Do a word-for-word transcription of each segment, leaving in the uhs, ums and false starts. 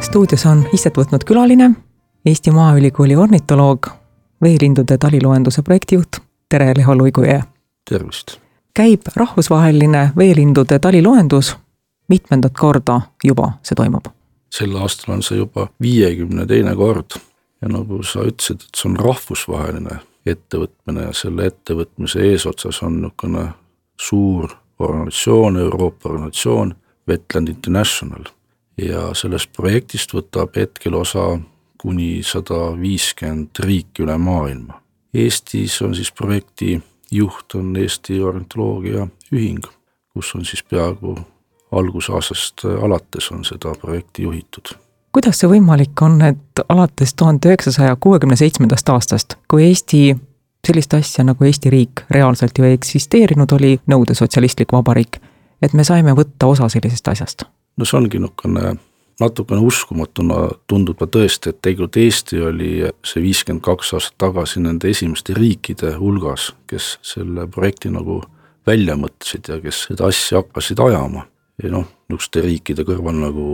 Stuudios on istet võtnud külaline, Eesti Maaülikooli ornitoloog, veelindude taliloenduse projektijuht. Tere, Leho Luigujõe! Tervist! Käib rahvusvaheline veelindude taliloendus. Mitmendat korda juba see toimub? Sel aastal on see juba viiekümne teine kord ja nagu sa ütlesid, et see on rahvusvaheline ettevõtmine ja selle ettevõtmise eesotsas on niisugune suur organisatsioon, Euroopa organisatsioon, Wetland International. Ja sellest projektist võtab hetkel osa kuni sada viiskümmend riiki üle maailma. Eestis on siis projekti juht on Eesti ornitoloogia ühing, kus on siis peaaegu algusaastast alates on seda projekti juhitud. Kuidas see võimalik on, et alates tuhande üheksasaja kuuekümne seitsmendast aastast, kui Eesti sellist asja nagu Eesti riik reaalselt ju ei eksisteerinud, oli nõude sotsialistlik vabariik, et me saime võtta osa sellisest asjast? No see ongi natukene, natukene uskumatuna tundub ka tõesti, et tegelikult Eesti oli see viiskümmend kaks aastat tagasi nende esimeste riikide hulgas, kes selle projekti nagu välja mõtlesid ja kes seda asja hakkasid ajama. Ja noh, niisuguste riikide kõrval nagu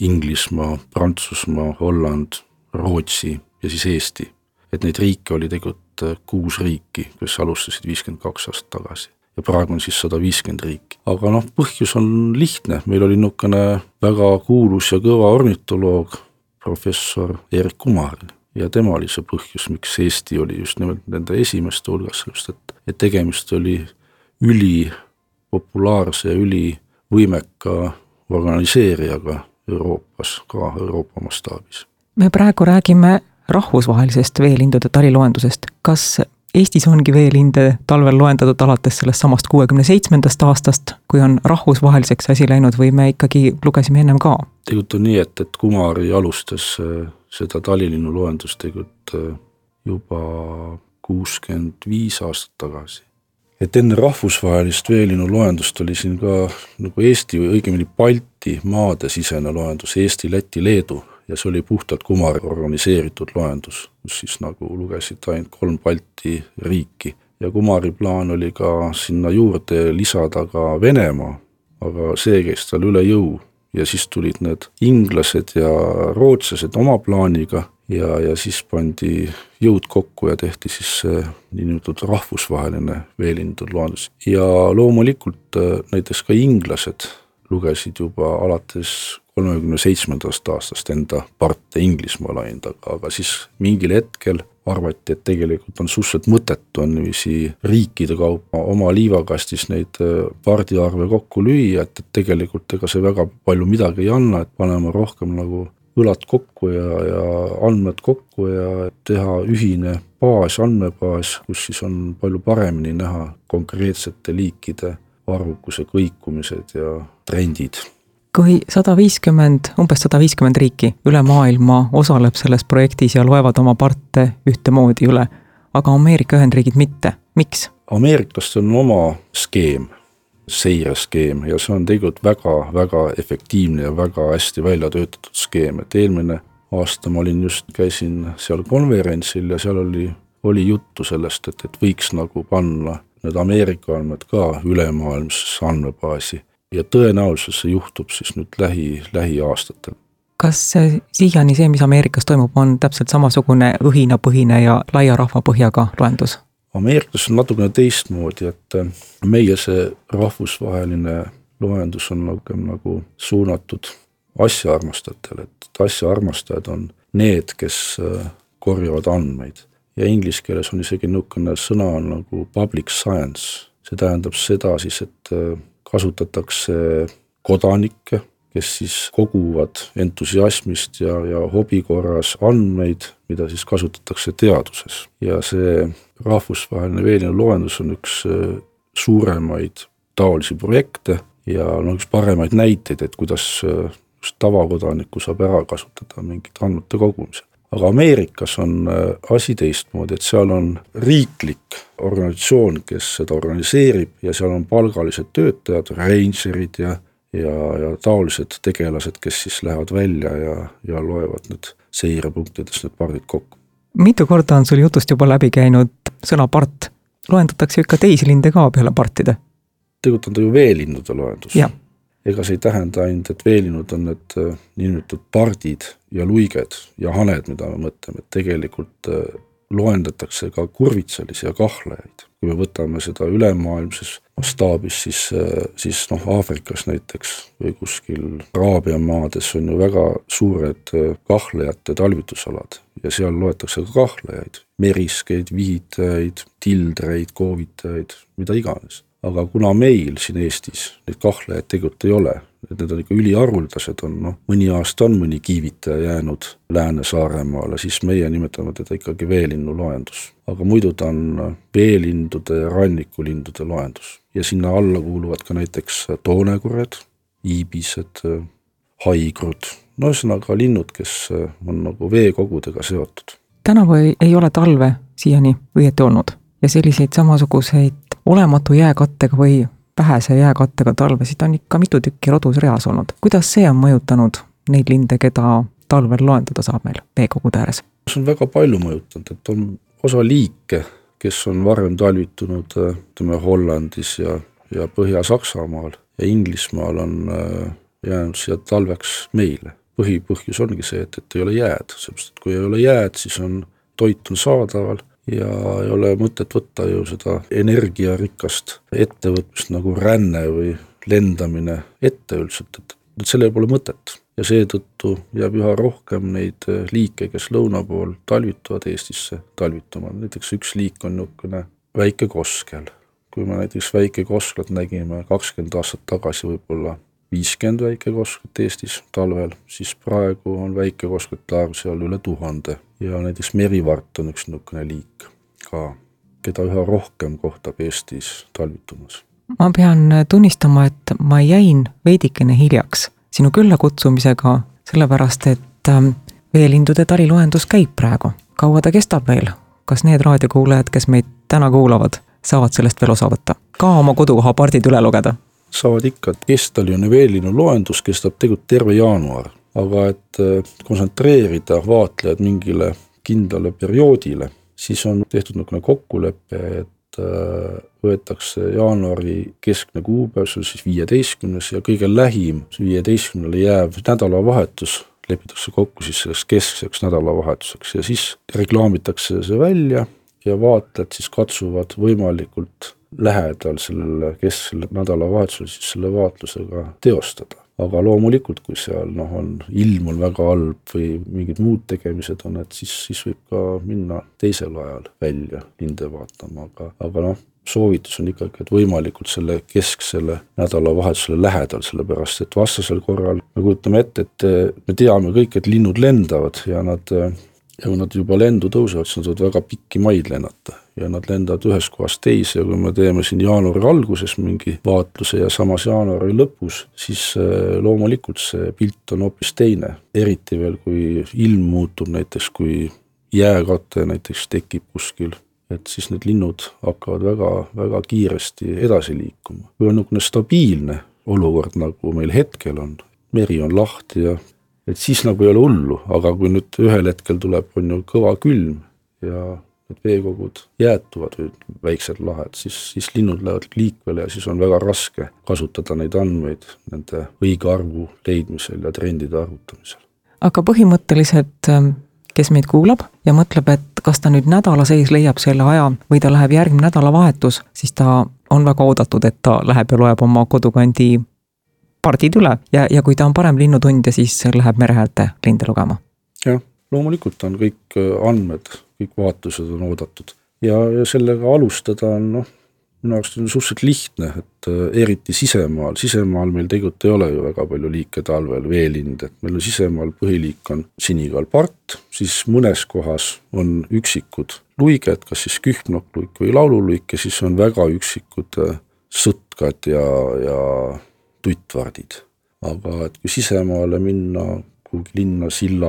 Inglismaa, Prantsusmaa, Holland, Rootsi ja siis Eesti. Et neid riike oli tegelikult kuus riiki, kes alustasid viiskümmend kaks aastat tagasi. Ja praegu on siis sada viiskümmend riiki. Aga noh, põhjus on lihtne. Meil oli niisugune väga kuulus ja kõva ornitoloog, professor Erik Kumar. Ja tema oli see põhjus, miks Eesti oli just nimelt nende esimeste hulgas, et, et tegemist oli üli populaarse ja üli võimeka organiseerijaga Euroopas, ka Euroopa mastaabis. Me praegu räägime rahvusvahelisest veelindude taliloendusest. Kas Eestis ongi veelinde talvel loendatud alates sellest samast kuuekümne seitsmendast aastast, kui on rahvusvaheliseks asi läinud või me ikkagi lugesime ennem ka? Tegelikult on nii, et, et Kumari alustas seda talilinnu loendust tegelikult juba kuuskümmend viis aastat tagasi. Et enne rahvusvahelist veelinnu loendust oli siin ka nagu Eesti või õigemini Balti maade sisene loendus, Eesti, Läti, Leedu. Ja see oli puhtalt Kumari organiseeritud loendus, kus siis nagu lugesid ainult kolm Balti riiki. Ja Kumari plaan oli ka sinna juurde lisada ka Venemaa, aga see käis tal üle jõu. Ja siis tulid need inglased ja rootslased oma plaaniga ja, ja siis pandi jõud kokku ja tehti siis see niinimetatud rahvusvaheline veelindude loendus. Ja loomulikult näiteks ka inglased lugesid juba alates kolmekümne seitsmendast aastast enda parte Inglismaa laind, aga siis mingil hetkel arvati, et tegelikult on suhteliselt mõttetu on niiviisi riikide kaupa oma liivakastis neid pardiarve kokku lüüa, et tegelikult ega see väga palju midagi ei anna, et panema rohkem nagu õlad kokku ja, ja andmed kokku ja teha ühine baas, andmebaas, kus siis on palju paremini näha konkreetsete liikide arvukuse kõikumised ja trendid. Kui sada viiskümmend, umbes sada viiskümmend riiki üle maailma osaleb selles projektis ja loevad oma parte ühtemoodi üle, aga Ameerika Ühendriigid mitte. Miks? Ameerikast on oma skeem, seireskeem ja see on tegelikult väga, väga efektiivne ja väga hästi välja töötatud skeem. Et eelmine aasta ma olin just, käisin seal konverentsil ja seal oli, oli juttu sellest, et, et võiks nagu panna need Ameerika andmed ka ülemaailmsesse andmebaasi. Ja tõenäoliselt see juhtub siis nüüd lähi, lähi aastatel. Kas siiani see, mis Ameerikas toimub, on täpselt samasugune õhinapõhine ja laia rahvapõhjaga loendus? Ameerikas on natukene teistmoodi, et meie see rahvusvaheline loendus on nagu, nagu suunatud asjaarmastajatele, et asjaarmastajad on need, kes korjavad andmeid. Ja inglise keeles on isegi niisugune sõna nagu public science. See tähendab seda siis, et kasutatakse kodanikke, kes siis koguvad entusiasmist ja, ja hobi korras andmeid, mida siis kasutatakse teaduses. Ja see rahvusvaheline veelinnu loendus on üks suuremaid taolisi projekte ja no, üks paremaid näiteid, et kuidas tavakodanikku saab ära kasutada mingit andmete kogumisel. Aga Ameerikas on asi teistmoodi, et seal on riiklik organisatsioon, kes seda organiseerib ja seal on palgalised töötajad, rangerid ja, ja, ja taolised tegelased, kes siis lähevad välja ja, ja loevad need seirepunktidest need pardid kokku. Mitu korda on sul jutust juba läbi käinud sõna part? Loendatakse ikka teisi linde ka peale partide? Tegelikult on ta ju veelindude loendus. Ja. ega see ei tähenda ainult, et veelinnud on need niinimetatud pardid ja luiged ja haned, mida me mõtleme, et tegelikult loendatakse ka kurvitsalisi ja kahlajaid. Kui me võtame seda ülemaailmses mastaabis, siis, siis noh, Aafrikas näiteks või kuskil Araabia maades on ju väga suured kahlajate talvitusalad ja seal loetakse ka kahlajaid, meriskeid, vihitajaid, tildreid, koovitajaid, mida iganes. Aga kuna meil siin Eestis neid kahlajaid tegelikult ei ole, et need on ikka üliharuldased, on noh, mõni aasta on mõni kiivitaja jäänud Lääne-Saaremaale, siis meie nimetame teda ikkagi veelinnu loendus. Aga muidu ta on veelindude ja rannikulindude loendus. Ja sinna alla kuuluvad ka näiteks toonekured, iibised, haigrud, no ühesõnaga linnud, kes on nagu veekogudega seotud. Tänavu ei ole talve siiani õieti olnud ja selliseid samasuguseid olematu jääkattega või vähese jääkattega talvesid on ikka mitu tükki rodus reas olnud. Kuidas see on mõjutanud neid linde, keda talvel loendada saab meil veekogude ääres? See on väga palju mõjutanud, et on osa liike, kes on varem talvitunud ütleme, Hollandis ja, ja Põhja-Saksamaal ja Inglismaal on jäänud siia talveks meile. Põhipõhjus ongi see, et, et ei ole jääd, seepärast, et kui ei ole jääd, siis on toit on saadaval ja ei ole mõtet võtta ju seda energiarikast ettevõtmist nagu ränne või lendamine ette üldiselt, et, et selle pole mõtet. Ja seetõttu jääb üha rohkem neid liike, kes lõuna pool talvituvad Eestisse talvituma. Näiteks üks liik on niisugune väike koskel. Kui me näiteks väike kosklat nägime kakskümmend aastat tagasi võib-olla viiskümmend väike kosklat Eestis talvel, siis praegu on väike kosklate arv seal üle tuhande. Ja näiteks merivart on üks niisugune liik ka, keda üha rohkem kohtab Eestis talvitumas. Ma pean tunnistama, et ma jäin veidikene hiljaks sinu külla kutsumisega, sellepärast, et veelindude taliloendus käib praegu. Kaua ta kestab veel? Kas need raadiokuulajad, kes meid täna kuulavad, saavad sellest veel osa võtta? Ka oma kodukoha pardid üle lugeda? Saavad ikka, et kestaline veelinnu loendus kestab tegelikult terve jaanuar, aga et kontsentreerida vaatlejad mingile kindlale perioodile, siis on tehtud niisugune kokkulepe, et võetakse jaanuari keskne kuupäev, see on siis viieteistkümnes ja kõige lähim viieteistkümnele jääv nädalavahetus lepitakse kokku siis selleks keskseks nädalavahetuseks ja siis reklaamitakse see välja ja vaatlejad siis katsuvad võimalikult lähedal sellele kesksele nädalavahetusele siis selle vaatlusega teostada. Aga loomulikult, kui seal noh, on ilm on väga halb või mingid muud tegemised on, et siis, siis võib ka minna teisel ajal välja linde vaatama, aga, aga noh, soovitus on ikkagi, et võimalikult selle kesksele nädalavahetusele lähedal, sellepärast, et vastasel korral me kujutame ette, et me teame kõik, et linnud lendavad ja nad, ja kui nad juba lendu tõusevad, siis nad võivad väga pikki maid lennata ja nad lendavad ühest kohast teise ja kui me teeme siin jaanuari alguses mingi vaatluse ja samas jaanuari lõpus, siis loomulikult see pilt on hoopis teine. Eriti veel, kui ilm muutub näiteks, kui jääkate näiteks tekib kuskil, et siis need linnud hakkavad väga, väga kiiresti edasi liikuma. Kui on niisugune stabiilne olukord, nagu meil hetkel on, meri on lahti ja et siis nagu ei ole hullu, aga kui nüüd ühel hetkel tuleb on ju kõva külm ja need veekogud jäätuvad või väiksed lahed, siis, siis linnud lähevad liikvele ja siis on väga raske kasutada neid andmeid nende õige arvu leidmisel ja trendide arvutamisel. Aga põhimõtteliselt, kes meid kuulab ja mõtleb, et kas ta nüüd nädala sees leiab selle aja või ta läheb järgmine nädalavahetus, siis ta on väga oodatud, et ta läheb ja loeb oma kodukandi pardid üle ja, ja kui ta on parem linnutundja, siis läheb merehäälte linde lugema. Jah, loomulikult on kõik andmed, kõik vaatlused on oodatud. Ja, ja sellega alustada on, noh, minu arust on suhteliselt lihtne, et eriti sisemaal, sisemaal meil tegelikult ei ole ju väga palju liike talvel, veelind, et meil on sisemaal põhiliik on sinikaalpart, siis mõnes kohas on üksikud luiged, kas siis kühmnokluik või laululuik ja siis on väga üksikud sõtkad ja, ja tuttvardid. Aga et kui sisemaale minna, kuhugi linna silla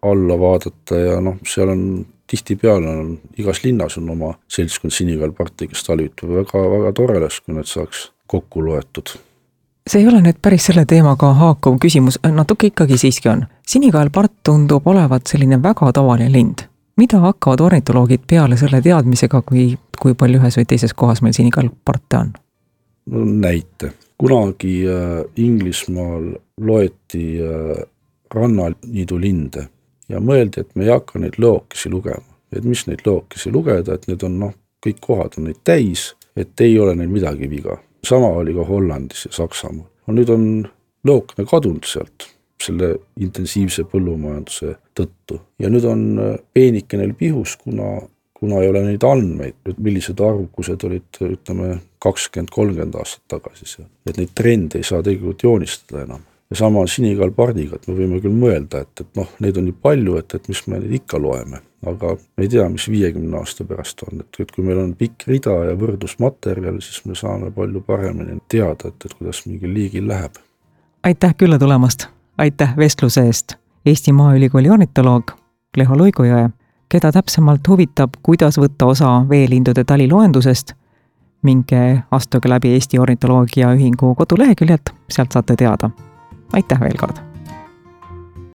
alla vaadata ja noh, seal on tihtipeale on, igas linnas on oma seltskond sinikaalparti, kes talvitab väga, väga toreles, kui need saaks kokku loetud. See ei ole nüüd päris selle teemaga haakuv küsimus, natuke ikkagi siiski on. Sinikaalpart tundub olevat selline väga tavaline lind. Mida hakkavad ornitoloogid peale selle teadmisega, kui, kui palju ühes või teises kohas meil sinikaalparte on? No näite. kunagi Inglismaal loeti rannaniidulinde ja mõeldi, et me ei hakka neid lõokesi lugema. Et mis neid lõokesi lugeda, et need on noh, kõik kohad on neid täis, et ei ole neil midagi viga. Sama oli ka Hollandis ja Saksamaal. No nüüd on lõokne kadunud sealt selle intensiivse põllumajanduse tõttu. Ja nüüd on peenike neil pihus, kuna, kuna ei ole neid andmeid, millised arvukused olid, ütleme, kakskümmend kolmkümmend aastat tagasi seal. Et neid trende ei saa tegelikult joonistada enam. Ja sama sinikalpardiga, et me võime küll mõelda, et, et noh, neid on nii palju, et, et mis me neid ikka loeme. Aga me ei tea, mis viiekümne aasta pärast on. Et, et kui meil on pikk rida ja võrdlusmaterjal, siis me saame palju paremini teada, et, et kuidas mingil liigil läheb. Aitäh külla tulemast! Aitäh vestluse eest! Eesti Maaülikooli ornitoloog Leho Luigujõe, keda täpsemalt huvitab, kuidas võtta osa veelindude taliloendusest, minge astuge läbi Eesti Ornitoloogia Ühingu koduleheküljelt, sealt saate teada. Aitäh veel kord!